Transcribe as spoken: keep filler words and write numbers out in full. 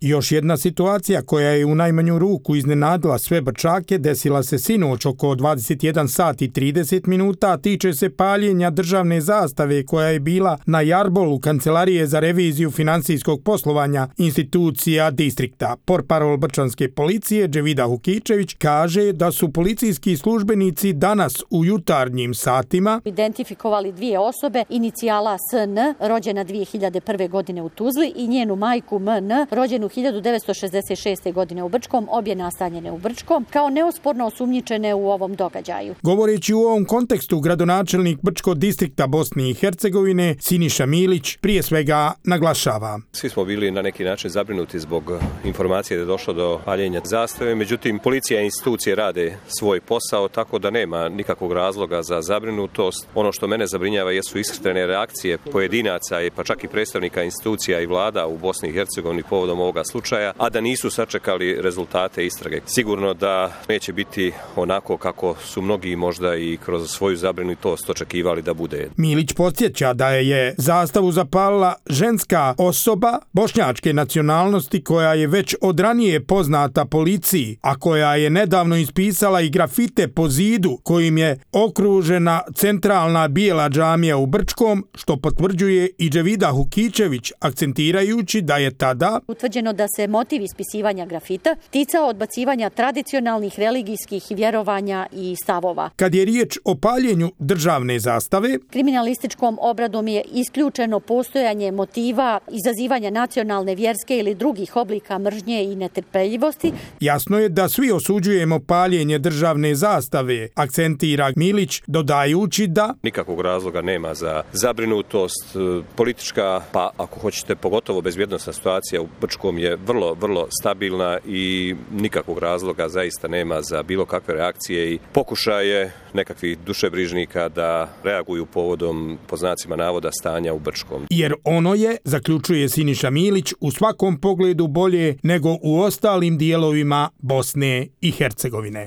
Još jedna situacija koja je u najmanju ruku iznenadila sve Brčake desila se sinoć oko dvadeset jedan sat i trideset minuta, tiče se paljenja državne zastave koja je bila na jarbolu Kancelarije za reviziju finansijskog poslovanja institucija distrikta. Portparol brčanske policije Dževida Hukičević kaže da su policijski službenici danas u jutarnjim satima identifikovali dvije osobe, inicijala S N, rođena dvije hiljade prve. godine u Tuzli, i njenu majku M N, rođenu hiljadu devetsto šezdeset šeste. godine u Brčkom, obje nastanjene u Brčkom, kao neosporno osumnjičene u ovom događaju. Govoreći u ovom kontekstu, gradonačelnik Brčkog distrikta Bosne i Hercegovine Siniša Milić prije svega naglašava. Svi smo bili na neki način zabrinuti zbog informacije da je došlo do paljenja zastave, međutim policija i institucije rade svoj posao, tako da nema nikakvog razloga za zabrinutost. Ono što mene zabrinjava jesu iskrene reakcije pojedinaca pa čak i predstavnika institucija i vlada u Bosni i Hercegovini povodom ovoga slučaja, a da nisu sačekali rezultate istrage. Sigurno da neće biti onako kako su mnogi možda i kroz svoju zabrinutost očekivali da bude. Milić podsjeća da je zastavu zapalila ženska osoba bošnjačke nacionalnosti koja je već od ranije poznata policiji, a koja je nedavno ispisala i grafite po zidu kojim je okružena centralna bijela džamija u Brčkom, što potvrđuje i Dževida Hukičević, akcentirajući da je tada utvrđeno da se motiv ispisivanja grafita ticao odbacivanja tradicionalnih religijskih vjerovanja i stavova. Kad je riječ o paljenju državne zastave, kriminalističkom obradom je isključeno postojanje motiva izazivanja nacionalne, vjerske ili drugih oblika mržnje i netrpeljivosti. Jasno je da svi osuđujemo paljenje državne zastave, akcentira Milić, dodajući da nikakvog razloga nema za zabrinutost. Politička, pa ako hoćete pogotovo bezbjednosna situacija u Brčkom je vrlo, vrlo stabilna i nikakvog razloga zaista nema za bilo kakve reakcije i pokušaje nekakvih dušebrižnika da reaguju povodom, po znacima navoda, stanja u Brčkom. Jer ono je, zaključuje Siniša Milić, u svakom pogledu bolje nego u ostalim dijelovima Bosne i Hercegovine.